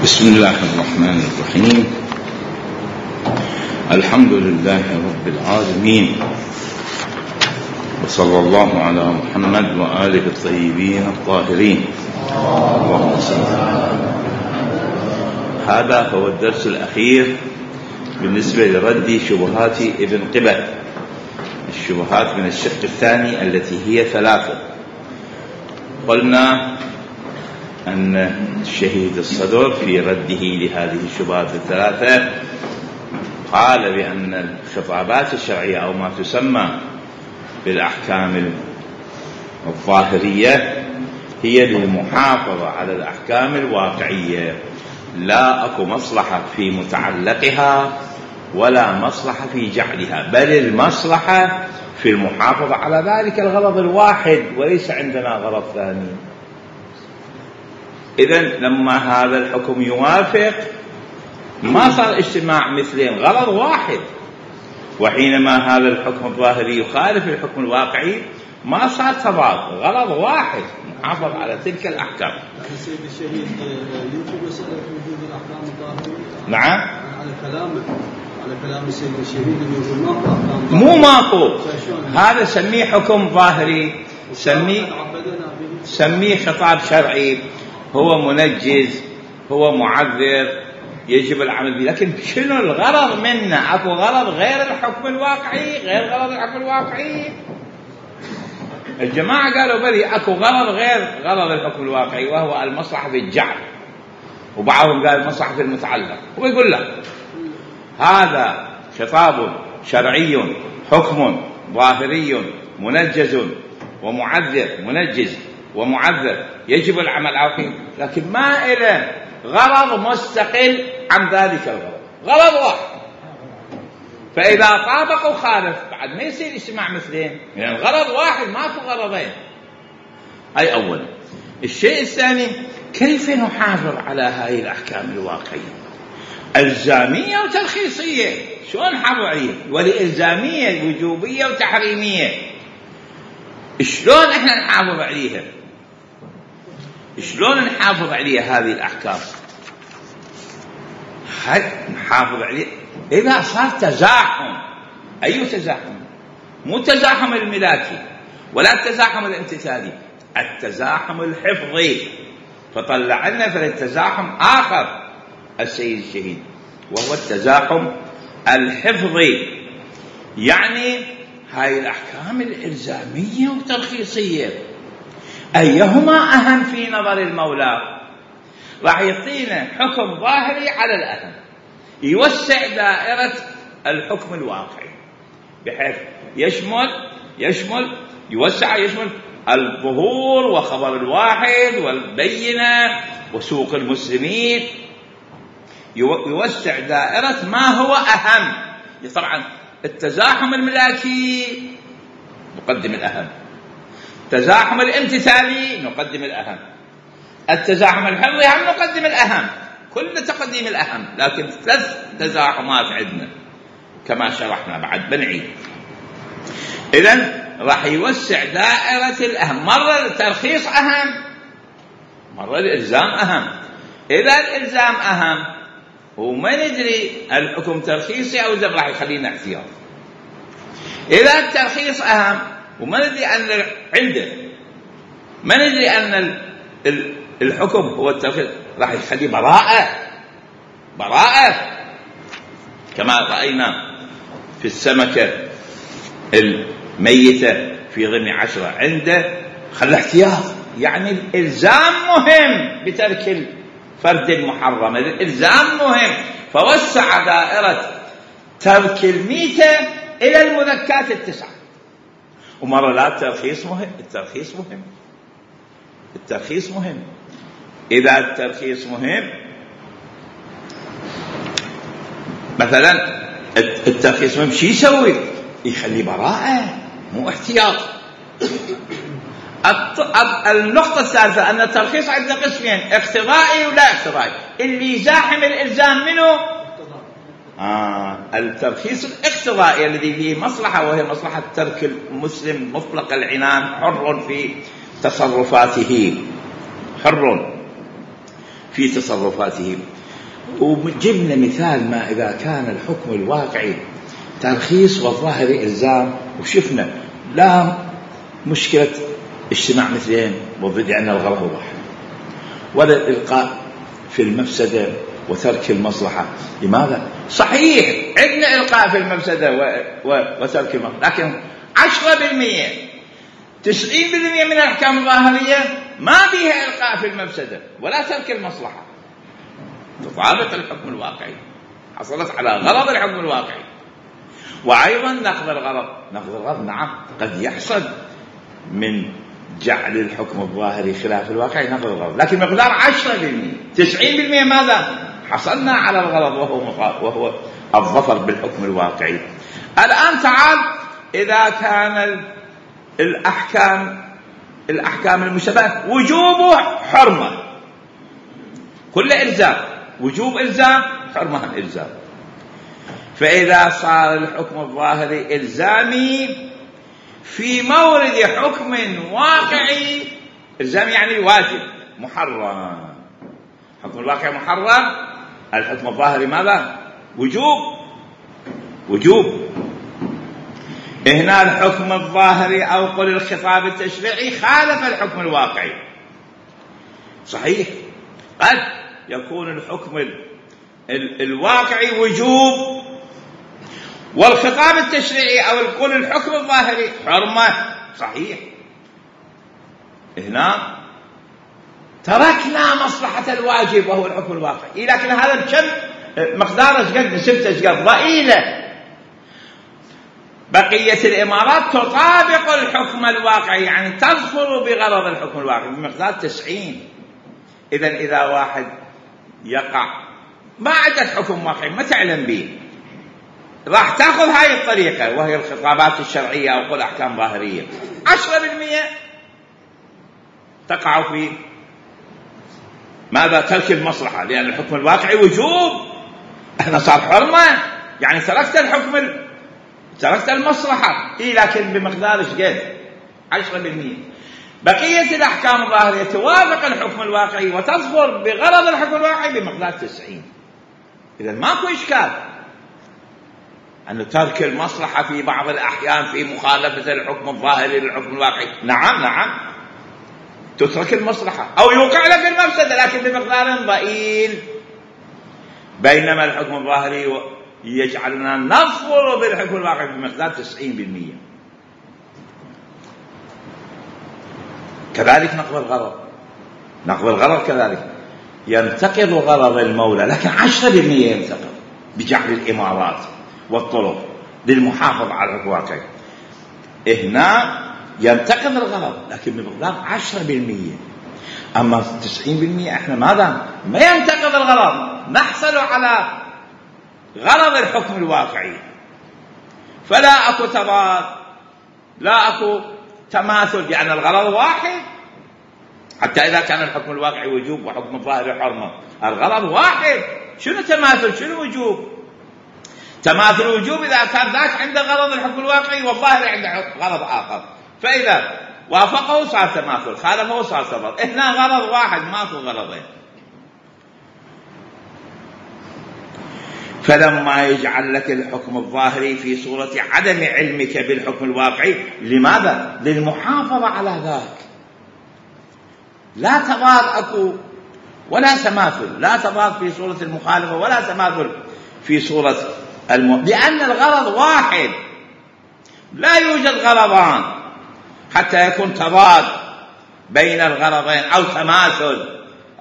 بسم الله الرحمن الرحيم. الحمد لله رب العالمين، وصلى الله على محمد وآله الطيبين الطاهرين. اللهم صل على محمد. هذا هو الدرس الأخير بالنسبة لرد شبهات ابن قبة، الشبهات من الشق الثاني التي هي ثلاثة. قلنا أن الشهيد الصدر في رده لهذه الشبهات الثلاثة قال بأن الخطابات الشرعية أو ما تسمى بالأحكام الظاهرية هي للمحافظة على الأحكام الواقعية، لا أكو مصلحة في متعلقها ولا مصلحة في جعلها، بل المصلحة في المحافظة على ذلك الغرض الواحد وليس عندنا غرض ثاني. إذن لما هذا الحكم يوافق ما صار اجتماع مثلين، غرض واحد. وحينما هذا الحكم الظاهري يخالف الحكم الواقعي ما صار تضاد، غرض واحد محافظ على تلك الأحكام. سيد الشهيد ينفي مسألة وجود الأحكام الظاهرية. نعم، على كلام السيد الشهيد اللي يقول ماكو أحكام ظاهرية. مو ماكو، هذا سميه حكم ظاهري، سميه خطاب شرعي، هو منجز، هو معذر، يجب العمل به. لكن شنو الغرض منه؟ اكو غرض غير الحكم الواقعي، غير غرض الحكم الواقعي. الجماعة قالوا بلي اكو غرض غير غرض الحكم الواقعي، وهو المصلحة في الجعل، وبعضهم قال المصلحة في المتعلق. هو يقول لك هذا خطاب شرعي، حكم ظاهري منجز ومعذر، منجز ومعذر، يجب العمل عليه، لكن ما إله غرض مستقل عن ذلك الغرض، غرض واحد. فإذا طابقوا خالف بعد ما يصير اجتماع مثلين، يعني الغرض واحد ما في غرضين. هاي أولا. الشيء الثاني، كيف نحافظ على هاي الأحكام الواقعية؟ الزامية وترخيصية، شلون نحافظ عليها؟ والإلزامية وجوبية وتحريمية، شلون احنا نحافظ عليها؟ شلون نحافظ عليها هذه الأحكام؟ نحافظ عليها إذا صار تزاحم. أي تزاحم؟ مو التزاحم الملاكي ولا التزاحم الامتثالي، التزاحم الحفظي. فطلع لنا في التزاحم آخر السيد الشهيد، وهو التزاحم الحفظي. يعني هاي الأحكام الإلزامية والترخيصية أيهما أهم في نظر المولى؟ راح يعطينا حكم ظاهري على الأهم، يوسع دائرة الحكم الواقعي بحيث يشمل الظهور وخبر الواحد والبينة وسوق المسلمين، يوسع دائرة ما هو أهم. طبعا التزاحم الملاكي نقدم الأهم، التزاحم الامتثالي نقدم الأهم، التزاحم الحفظي هم نقدم الأهم، كل تقديم الأهم. لكن 3 تزاحمات عندنا كما شرحنا بعد بنعيد. إذن راح يوسع دائرة الأهم، مرة الترخيص أهم، مرة الإلزام أهم. إذا الإلزام أهم وما ندري الحكم ترخيصي أو إلزام راح يخلينا احتياط. إذا الترخيص أهم وما ندري أن عنده، ما ندري أن الحكم هو الترخيص، راح يخليه براءة كما رأينا في السمكة الميتة في ضمن 10 عنده خلى احتياط. يعني الإلزام مهم بترك الفرد المحرم، الإلزام مهم، فوسع دائرة ترك الميتة إلى المذكات 9. ومرة لا، الترخيص مهم. إذا الترخيص مهم، مثلا الترخيص مهم، شو يسوي؟ يخلي براءة مو احتياط. النقطة الثالثة أن الترخيص عندنا قسمين، اقتضائي ولا اقتضائي. اللي يزاحم الإلزام منه الترخيص الاقتضائي الذي فيه مصلحة، وهي مصلحة ترك المسلم مطلق العنان حر في تصرفاته، حر في تصرفاتهم. وجبنا مثال ما إذا كان الحكم الواقعي ترخيص والظاهري إلزام، وشفنا لا مشكلة اجتماع مثلين وضد أن الغرض واحد، ولا الإلقاء في المفسدة وترك المصلحة. لماذا؟ صحيح عندنا إلقاء في المفسدة وترك المصلحة، لكن 10% 90% من الأحكام الظاهرية ما فيها إلقاء في المفسدة ولا ترك المصلحة، تطابق الحكم الواقعي، حصلت على غرض الحكم الواقعي. وأيضا نقض الغرض نعم قد يحصل من جعل الحكم الظاهري خلاف الواقعي نقض الغرض، لكن مقدار 10%. 90% ماذا؟ حصلنا على الغرض وهو الظفر بالحكم الواقعي. الآن تعال، إذا كان الأحكام المشتبهة وجوبه حرمة، كل إلزام وجوب إلزام، حرمة إلزام. فإذا صار الحكم الظاهري إلزامي في مورد حكم واقعي، إلزامي يعني واجب محرم، حكم الواقع محرم، الحكم الظاهري ماذا؟ وجوب. هنا الحكم الظاهري أو قل الخطاب التشريعي خالف الحكم الواقعي. صحيح قد يكون الحكم الواقعي وجوب والخطاب التشريعي أو قل الحكم الظاهري حرمة. صحيح، هنا تركنا مصلحة الواجب وهو الحكم الواقعي، لكن هذا بكم مقدار قد نسبته قد ضئيلة. بقية الإمارات تطابق الحكم الواقعي، يعني تظفر بغرض الحكم الواقعي بمقدار 90. إذا واحد يقع ما عندك حكم واقعي ما تعلم به، راح تأخذ هاي الطريقة وهي الخطابات الشرعية أو قل أحكام ظاهرية، 10% تقع في ماذا؟ ترك المصلحة، لأن الحكم الواقعي وجوب، احنا صار حرمة، يعني تركت المصلحة، لكن بمقدار قد 10%. بقية الأحكام الظاهرية توافق الحكم الواقعي وتظفر بغرض الحكم الواقعي بمقدار 90. إذا ماكو إشكال أن ترك المصلحة في بعض الأحيان في مخالفة الحكم الظاهري للحكم الواقعي، نعم تترك المصلحة أو يوقع لك المفسدة لكن بمقدار ضئيل، بينما الحكم الظاهري يجعلنا نظفر بالحكم الواقعي بمقدار 90%. كذلك نقض الغرض كذلك ينتقض غرض المولى، لكن 10% ينتقض بجعل الإمارات والطرق للمحافظة على الحكم الواقعي. هنا ينتقض الغرض لكن بمقدار 10%. أما 90% احنا ماذا؟ ما ينتقض الغرض، نحصل على غرض الحكم الواقعي، فلا أكو تضاد، لا أكو تماثل، يعني الغرض واحد. حتى إذا كان الحكم الواقعي وجوب وحكم الظاهري حرمة، الغرض واحد. شنو تماثل؟ شنو وجوب؟ تماثل وجوب إذا كان ذاك عنده غرض الحكم الواقعي والظاهري عنده غرض آخر، فإذا وافقه صار تماثل، خالفه صار تضاد. هنا غرض واحد ماكو غرضين. فلما يجعل لك الحكم الظاهري في صورة عدم علمك بالحكم الواقعي، لماذا؟ للمحافظة على ذاك. لا تضاد أكو ولا تماثل، لا تضاد في صورة المخالفة ولا تماثل في صورة لأن الغرض واحد، لا يوجد غرضان حتى يكون تضاد بين الغرضين أو تماثل،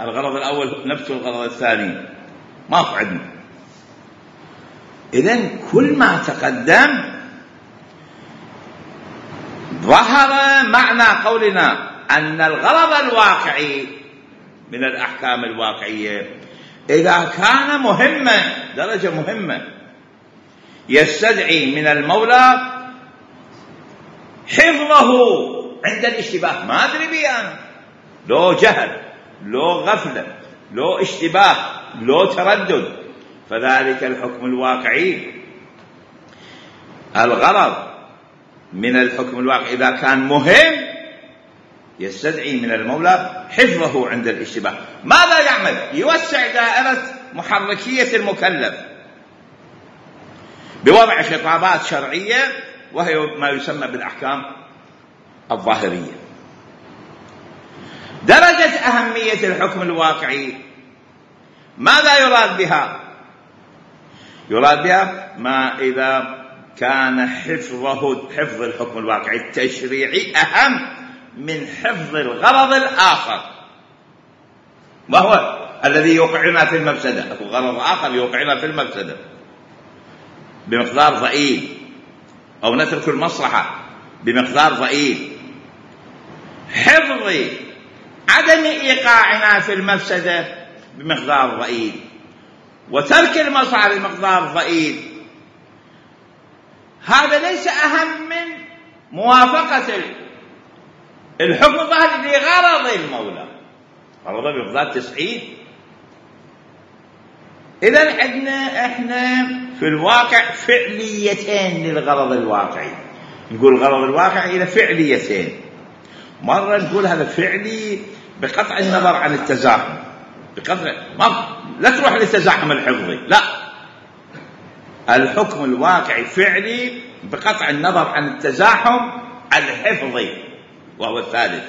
الغرض الأول نفس الغرض الثاني ما في عندنا. إذن كل ما تقدم ظهر معنى قولنا أن الغرض الواقعي من الأحكام الواقعية إذا كان مهما درجة مهمة يستدعي من المولى حفظه عند الاشتباه. ما أدري بي أنا، لو جهل، لو غفلة، لو اشتباه، لو تردد، فذلك الحكم الواقعي الغرض من الحكم الواقعي إذا كان مهم يستدعي من المولى حفظه عند الاشتباه. ماذا يعمل؟ يوسع دائرة محركية المكلف بوضع خطابات شرعية، وهي ما يسمى بالأحكام الظاهرية. درجة أهمية الحكم الواقعي ماذا يراد بها؟ يراد بها ما إذا كان حفظ الحكم الواقعي التشريعي أهم من حفظ الغرض الآخر، وهو الذي يوقعنا في المفسدة. غرض آخر يوقعنا في المفسدة بمقدار ضئيل، أو نترك المصلحة بمقدار ضئيل. حفظ عدم إيقاعنا في المفسدة بمقدار ضئيل، وترك المصلحة بمقدار ضئيل، هذا ليس أهم من موافقة الحكم الظاهري لغرض المولى، غرضه بمقدار 90. إذن احنا في الواقع فعليتين للغرض الواقعي. نقول الغرض الواقعي إلى فعليتين. مرة نقول هذا فعلي بقطع النظر عن التزاحم، لا تروح للتزاحم الحفظي، لا، الحكم الواقعي فعلي بقطع النظر عن التزاحم الحفظي، وهو الثالث.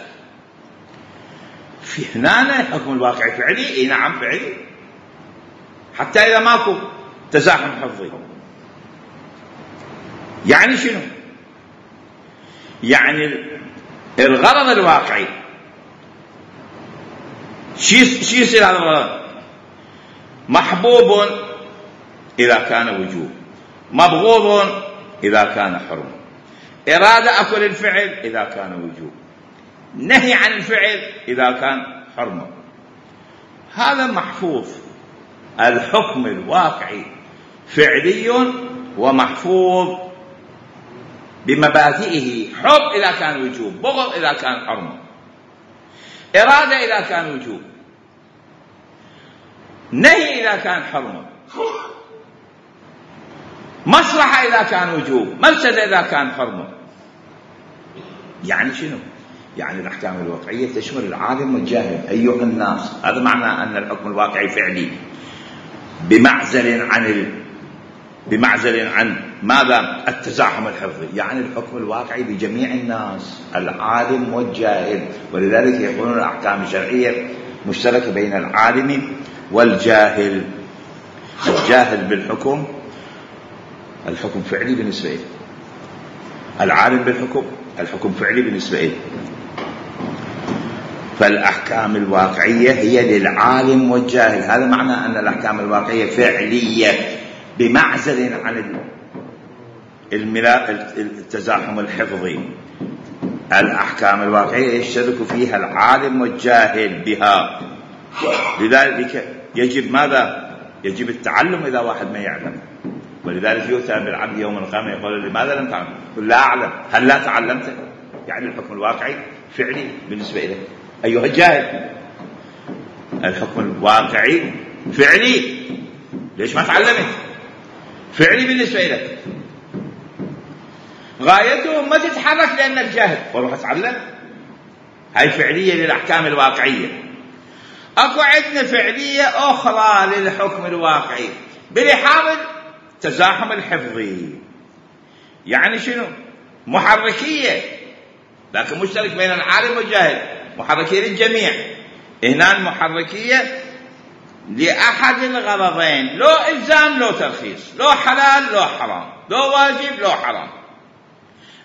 في هنا الحكم الواقعي فعلي، نعم فعلي، حتى إذا ماكو تزاحم حفظي. يعني شنو؟ يعني الغرض الواقعي شو يصير هذا الغرض؟ محبوب إذا كان وجوب، مبغوض إذا كان حرم، إرادة أكل الفعل إذا كان وجوب، نهي عن الفعل إذا كان حرم. هذا محفوظ. الحكم الواقعي فعلي ومحفوظ بمبادئه: حب إذا كان وجوب، بغض إذا كان حرم، إرادة إذا كان وجوب، نهي إذا كان حرم، مصلحة إذا كان وجوب، مفسدة إذا كان حرم. يعني شنو؟ يعني الأحكام الواقعية تشمل العالم والجاهل أيها الناس. هذا معنى أن الحكم الواقعي فعلي بمعزل عن ماذا؟ التزاحم الحفظي. يعني الحكم الواقعي بجميع الناس، العالم والجاهل. ولذلك يقولون الأحكام الشرعية مشتركة بين العالم والجاهل. الجاهل بالحكم، الحكم فعلي بالنسبة له، العالم بالحكم، الحكم فعلي بالنسبة له. فالأحكام الواقعية هي للعالم والجاهل. هذا معنى أن الأحكام الواقعية فعلية بمعزل عن التزاحم الحفظي. الأحكام الواقعية يشترك فيها العالم والجاهل بها. لذلك يجب ماذا؟ يجب التعلم إذا واحد ما يعلم. ولذلك يؤتى بالعبد يوم القيامة يقول: لماذا لم تعلم؟ يقول: لا أعلم. هل لا تعلمت؟ يعني الحكم الواقعي فعلي بالنسبة إليه أيها الجاهل. الحكم الواقعي فعلي. ليش ما تعلمت؟ فعلي بالنسبة لك. غايته ما تتحرك لأنك جاهل وروح اتعلم. هاي فعلية للأحكام الواقعية. أكو عندنا فعلية أخرى للحكم الواقعي بلحاظ التزاحم الحفظي. يعني شنو؟ محركية، لكن مشترك بين العالم والجاهل، محركية للجميع. هنا المحركية لأحد الغرضين: لو إلزام لو ترخيص، لو حلال لو حرام، لو واجب لو حرام.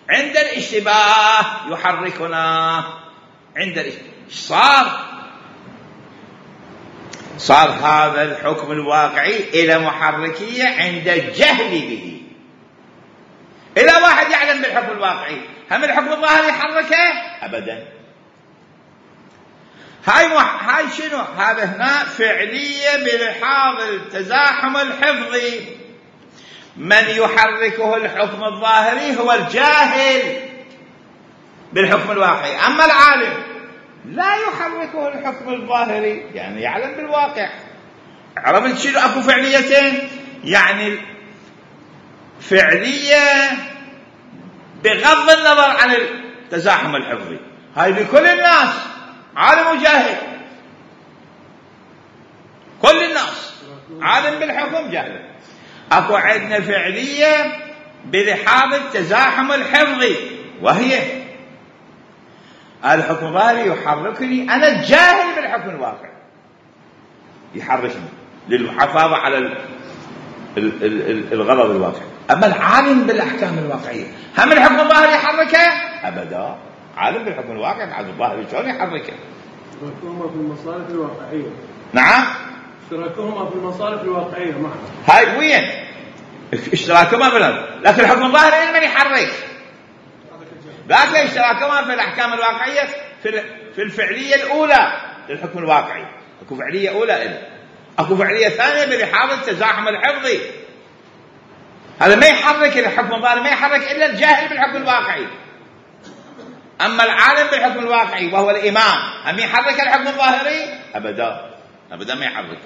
عند الاشتباه يحركنا. عند الاشتباه صار هذا الحكم الواقعي إلى محركية عند الجهل به. إلى واحد يعلم بالحكم الواقعي، هم الحكم الظاهري يحركه؟ أبدا. هاي شنو؟ هذا هنا فعلية بلحاظ التزاحم الحفظي. من يحركه الحكم الظاهري هو الجاهل بالحكم الواقعي، أما العالم لا يحركه الحكم الظاهري، يعني يعلم بالواقع. عرفت شنو؟ أكو فعليتين، يعني فعلية بغض النظر عن التزاحم الحفظي، هاي لكل الناس، عالم وجاهل، كل الناس عالم بالحكم جاهل. اكو عندنا فعلية بلحاظ التزاحم الحفظي، وهي الحكم الظاهري يحركني أنا الجاهل بالحكم الواقعي، يحركني للمحافظة على الغرض الواقعي. أما العالم بالأحكام الواقعية هم الحكم الظاهري يحركه؟ أبدا. عالم بالحكم الواقعي الحكم الظاهري شلون يحركه؟ اشتراكهما في المصالح الواقعية. نعم، اشتراكهما في المصالح الواقعية معا. هاي وين اشتراكهما لكن الحكم الظاهري من يحرك؟ ذاك اشتراكهما في الأحكام الواقعية في الفعلية الأولى للحكم الواقعي. اكو فعلية أولى إله. اكو فعلية ثانية بلحاظ التزاحم الحفظي. هذا ما يحرك الحكم الظاهري، ما يحرك إلا الجاهل بالحكم الواقعي. أما العالم بالحكم الواقعي وهو الإمام هم يحرك الحكم الظاهري؟ أبدا، أبدا ما يحرك.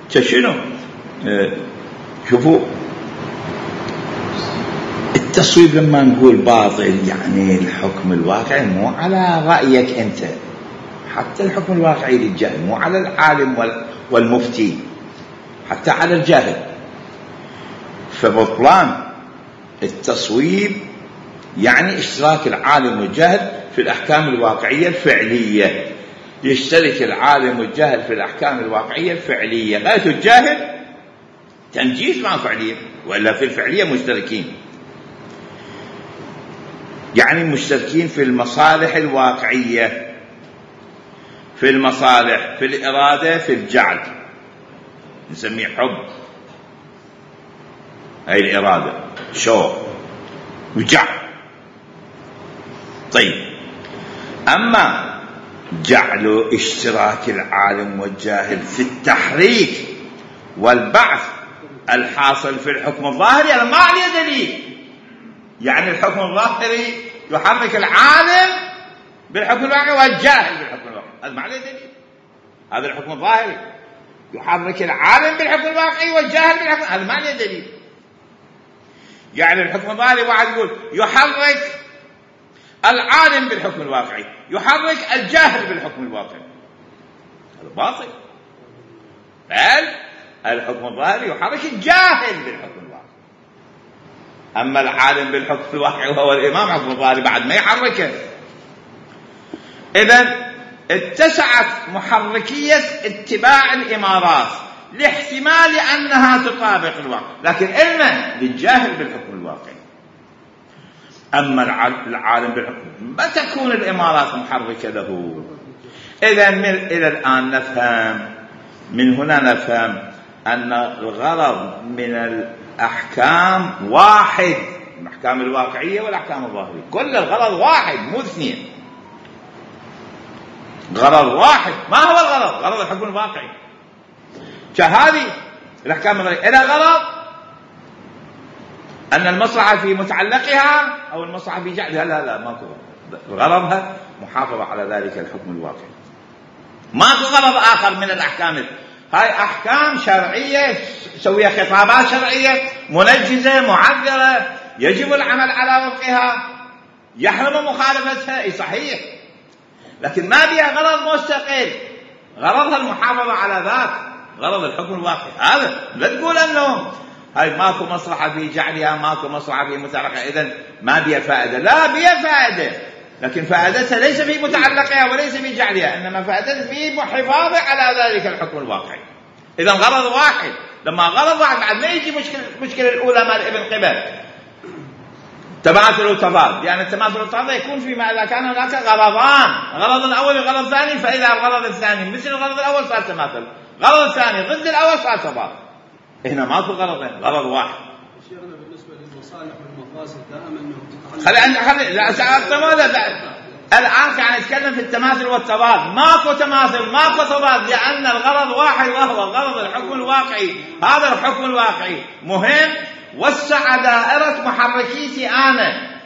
شنو؟ شوفوا التصويب لما نقول باطل يعني الحكم الواقعي مو على رأيك أنت، حتى الحكم الواقعي للجاهل، مو على العالم والمفتي، حتى على الجاهل. فبطلان التصويب يعني اشتراك العالم والجاهل في الأحكام الواقعية الفعلية. يشترك العالم والجاهل في الأحكام الواقعية الفعلية، غاية الجاهل تنجيز مع فعلية، وإلا في الفعلية مشتركين، يعني مشتركين في المصالح الواقعية، في المصالح، في الإرادة، في الجعل، نسميه حب، هاي الإرادة، شوق وجعل. طيب، أما جعل اشتراك العالم والجاهل في التحريك والبعث الحاصل في الحكم الظاهري هذا ما عليه دليل. يعني الحكم الظاهري يحرك العالم بالحكم الواقعي والجاهل بالحكم الواقعي، هذا ما عليه دليل. هذا الحكم الظاهري يحرك العالم بالحكم الواقعي والجاهل بالحكم، هذا ما عليه دليل. يعني الحكم الظاهري واحد يقول يحرك العالم بالحكم الواقعي، يحرك الجاهل بالحكم الواقعي، هذا باطل. بل الحكم الظاهري يحرك الجاهل بالحكم الواقعي. أما العالم بالحكم الواقعي وهو الإمام، حكم الظاهري بعد ما يحركه. إذن اتسعت محركية اتباع الإمارات لاحتمال أنها تطابق الواقع، لكن إلنا للجاهل بالحكم الواقعي. أما العالم بالحكم ما تكون الإمارات محركة له. إذن إلى الآن نفهم، من هنا نفهم أن الغرض من الأحكام واحد، الأحكام الواقعية والأحكام الظاهرية، كل الغرض واحد مو اثنين، غرض واحد. ما هو الغرض؟ غرض الحكم الواقعي. فهذه الأحكام الظاهرية إلى غرض أن المصلحة في متعلقها أو المصلحة في جعلها، لا ماكو غرضها محافظة على ذلك الحكم الواقعي، ماكو غرض آخر من الأحكام. هاي أحكام شرعية سوية، خطابات شرعية منجزة معذرة، يجب العمل على وفقها، يحرم مخالفتها، أي صحيح، لكن ما بها غرض مستقل، غرضها المحافظة على ذات غرض الحكم الواقعي. هذا لا تقول أنه هاي ماكو مصلحة في جعلها، ماكو مصلحة في متعلقها، إذن ما بها فائدة. لا، بها فائدة، لكن فائدتها ليس في متعلقها وليس في جعلها، إنما فائدتها في محافظة على ذلك الحكم الواقعي. إذن غرض واحد. لما غرض واحد بعد ما يجي مشكلة الأولى مال ابن قبل تماثل وتضاد، يعني التماثل والتضاد يكون فيما إذا كان هناك غرضان، غرض الأول وغرض الثاني، فإذا الغرض الثاني مثل الغرض الأول صار تماثل، غرض الثاني ضد الأول صار تضاد. هنا ماكو غرضين، غرض واحد. شيخنا بالنسبة للمصالح والمفاسد دائما خلي الآن كان نتكلم في التماثل والتضاد، ماكو تماثل ماكو تضاد، لأن الغرض واحد وهو غرض الحكم الواقعي. هذا الحكم الواقعي مهم، وسع دائرة محركيتي أنا،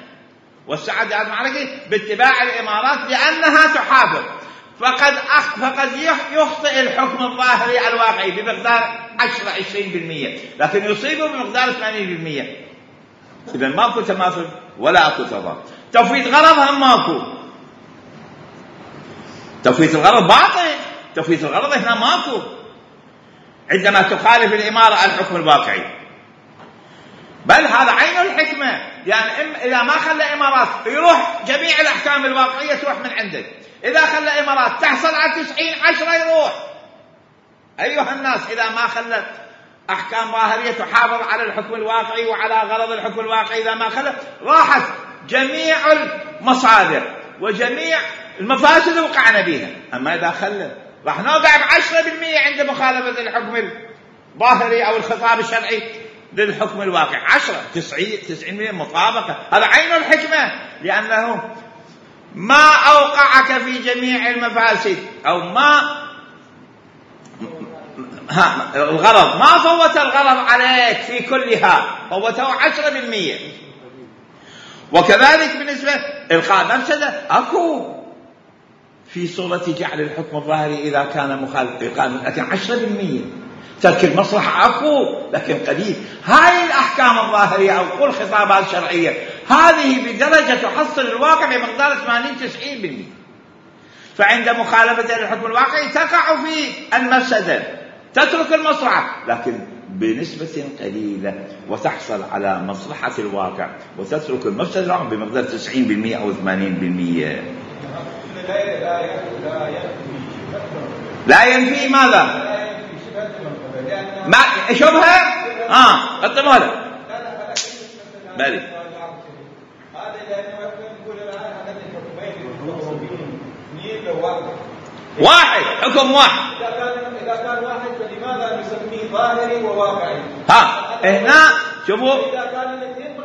وسع دائرة محركيتي باتباع الإمارات لأنها تحافظ. فقد يخطئ الحكم الظاهري الواقعي بمقدار 10-20%، لكن يصيبه بمقدار 80%. إذا ماكو تماثل ولا أكو تضاد. تفويت غرض هم ماكو، تفويت الغرض باطل، تفويت الغرض هنا ماكو عندما تخالف الإمارة الحكم الواقعي، بل هذا عين الحكمة. يعني إذا ما خلى إمارات يروح جميع الأحكام الواقعية تروح من عندك، إذا خلى إمارات تحصل على 90-10 يروح. أيها الناس، إذا ما خلت أحكام ظاهرية تحافظ على الحكم الواقعي وعلى غرض الحكم الواقعي، إذا ما خلت راحت جميع المصادر وجميع المفاسد وقعنا بها. أما إذا خلت راح نوقع ب10% عند مخالفة الحكم الظاهري أو الخطاب الشرعي للحكم الواقع. 90% مطابقة. هذا عين الحكمة، لأنه ما أوقعك في جميع المفاسد، أو ما الغرض ما فوت الغرض عليك في كلها، فوته 10%. وكذلك بالنسبة إلقاء مفسدة أكو في صورة جعل الحكم الظاهري إذا كان مخالف إلقاء، لكن 10%. ترك المصلحة أكو لكن قليل. هاي الأحكام الظاهرية أو كل خطابات شرعية هذه بدرجة تحصل الواقع بمقدار 80-90%. فعند مخالفة الحكم الواقعي تقع في المفسدة، تترك المصلحة لكن بنسبة قليلة، وتحصل على مصلحة الواقع وتترك المفسدة بمقدار 90% أو 80%. لا ينفي ماذا؟ ما شبهه قدموا له بالي واحد، حكم واحد. إذا كان واحد فلماذا نسميه ظاهري وواقعي؟ هنا شوفوا، إذا كان الاثنين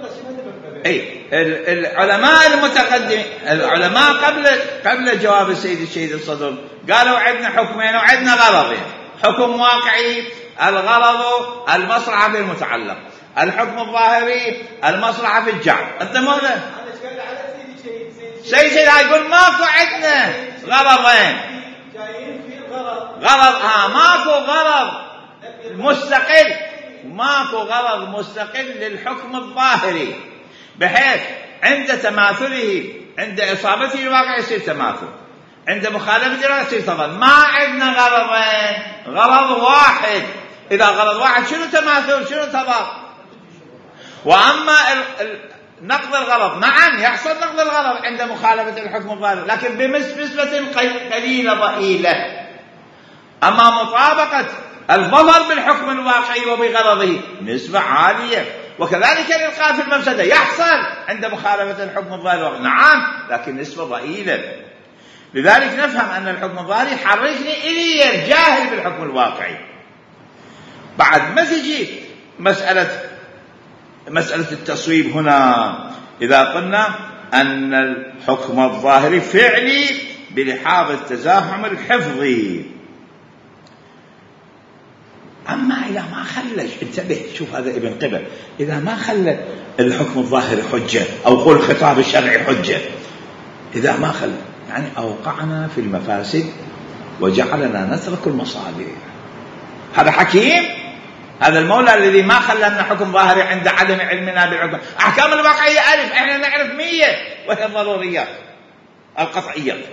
اي العلماء المتقدمين، العلماء قبل جواب الشهيد الصدر قالوا عندنا حكمين وعندنا غرضين. حكم واقعي الغرض المصلحة في المتعلق، الحكم الظاهري المصلحة في الجعل. قدموا له سيد يقول ماكو عندنا غرضين، غرض ماكو غرض مستقل، ماكو غرض مستقل للحكم الظاهري، بحيث عند تماثله عند إصابته الواقع يصير تماثل، عند مخالفته الواقع يصير تضاد. ما عندنا غرضين، غرض واحد. إذا غرض واحد شنو تماثل شنو تضاد؟ وأما نقض الغرض، نعم يحصل نقض الغرض عند مخالفة الحكم الظاهري لكن بنسبة قليلة ضئيلة. أما مطابقة الظفر بالحكم الواقعي وبغرضه نسبة عالية. وكذلك الإلقاء في المفسدة يحصل عند مخالفة الحكم الظاهري، نعم لكن نسبة ضئيلة. لذلك نفهم أن الحكم الظاهري يحركني إلي الجاهل بالحكم الواقعي. بعد ما تجي مسألة التصويب هنا، إذا قلنا أن الحكم الظاهري فعلي بلحاظ التزاحم الحفظي. أما إذا ما خلش، انتبه شوف هذا ابن قبل، إذا ما خلى الحكم الظاهري حجة أو قول الخطاب الشرعي حجة، إذا ما خلى يعني أوقعنا في المفاسد وجعلنا نترك المصالح. هذا حكيم، هذا المولى الذي ما خلى لنا حكم ظاهري عند عدم علمنا بالحكم. أحكام الواقعية ألف، إحنا نعرف 100 وهي الضروريات القطعية.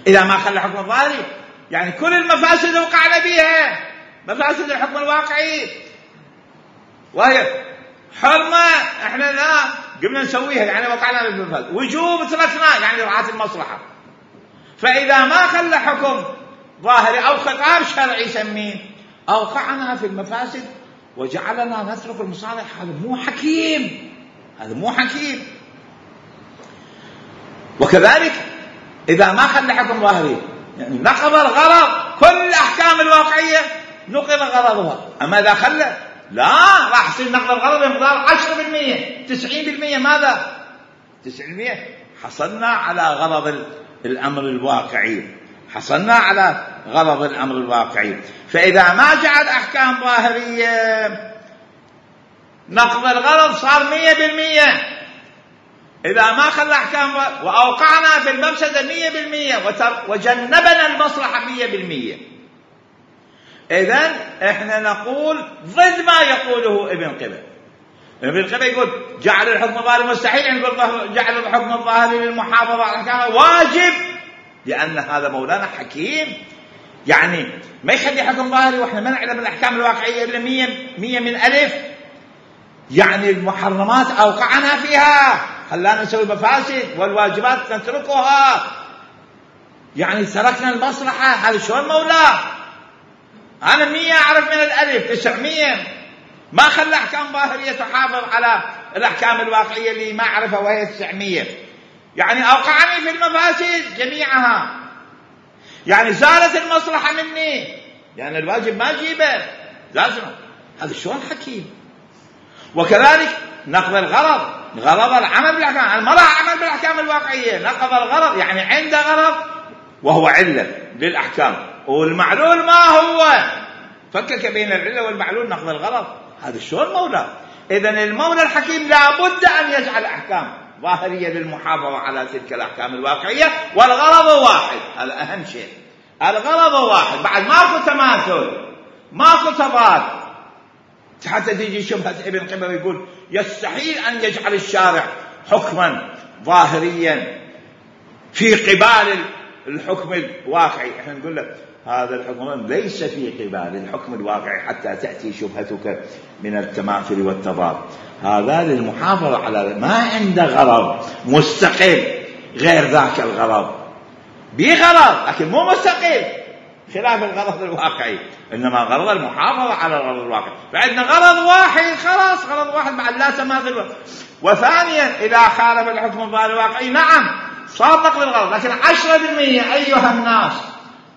إذا ما خلى حكم ظاهري يعني كل المفاسد وقعنا بها، مفاسد الحكم الواقعي وهي حرمة إحنا لا قبل نسويها يعني وقعنا بالمفاسد، وجوب تركنا يعني رعاة المصلحة. فإذا ما خلى حكم ظاهري أو خطاب شرعي سميه أوقعنا في المفاسد وجعلنا نترك المصالح، هذا مو حكيم، هذا مو حكيم. وكذلك إذا ما خلى حكم ظاهري يعني نقض الغرض، كل الأحكام الواقعية نقض غرضها. أما إذا خلى لا، راح يصير نقض الغرض بمقدار 10%، 90%. ماذا 90%؟ حصلنا على غرض الأمر الواقعي، حصلنا على غرض الأمر الواقعي. فإذا ما جعل أحكام ظاهرية نقض الغرض صار 100%. إذا ما خلى أحكام وأوقعنا في المفسدة 100% وجنبنا المصلحة 100%. إذن إحنا نقول ضد ما يقوله ابن قبل. ابن قبة يقول جعل الحكم الظاهري مستحيل، يقول جعل الحكم الظاهري للمحافظة على الأحكام واجب، لأن هذا مولانا حكيم، يعني ما يخلي حكم ظاهري واحنا ما نعلم الأحكام الواقعية إلا 100 من ألف. يعني المحرمات أوقعنا فيها، خلانا نسوي مفاسد، والواجبات نتركها، يعني تركنا المصلحة. هذا شلون مولاه؟ أنا 100 أعرف من الألف 900، ما خلى أحكام ظاهرية تحافظ على الأحكام الواقعية اللي ما أعرفها وهي 900. يعني أوقعني في المفاسد جميعها، يعني زالت المصلحة مني، يعني الواجب ما أجيبه لازم. هذا شلون حكيم؟ وكذلك نقض الغرض، غرض العمل بالأحكام، المرأة عمل بالأحكام الواقعية، نقض الغرض يعني عنده غرض وهو علة للأحكام، والمعلول ما هو، فكك بين العلة والمعلول، نقض الغرض. هذا شلون مولى؟ إذن المولى الحكيم لابد أن يجعل أحكام ظاهرية للمحافظة على تلك الأحكام الواقعية، والغرض واحد، هذا أهم شيء، الغرض واحد، بعد ماكو تماثل، ماكو تضاد. حتى تيجي شبهة ابن قبة يقول يستحيل أن يجعل الشارع حكما ظاهريا في قبال الحكم الواقعي. احنا نقول لك هذا الحكم ليس في قبال الحكم الواقعي حتى تأتي شبهتك من التماثل والتضاد. هذا للمحافظة على ما عنده غرض مستقل غير ذاك الغرض، بغرض لكن مو مستقل خلاف الغرض الواقعي، إنما غرض المحافظة على الغرض الواقعي. فعندنا غرض واحد، خلاص غرض واحد بعد لا تماثل. وثانيا إذا خالف الحكم الظاهري الواقعي نعم صار نقض الغرض، لكن 10% أيها الناس،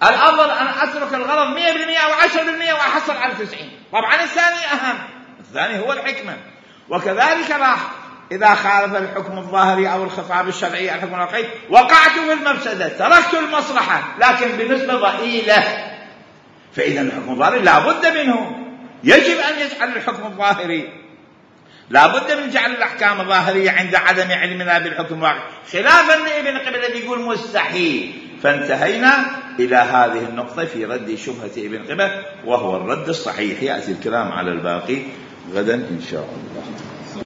الأفضل أن أترك الغرض 100% أو 10% وأحصل على 90. طبعا الثاني أهم، الثاني هو الحكمة. وكذلك راح إذا خالف الحكم الظاهري أو الخطاب الشرعي الحكم الواقعي وقعت في المفسدة، تركت المصلحة لكن بنسبة ضئيلة. فإذا الحكم الظاهري لا بد منه، يجب أن يجعل الحكم الظاهري، لا بد من جعل الأحكام الظاهرية عند عدم علمنا بالحكم الواقعي، خلافا لابن قبة الذي يقول مستحيل. فانتهينا إلى هذه النقطة في رد شبهة ابن قبة، وهو الرد الصحيح. يأتي الكلام على الباقي غدا إن شاء الله.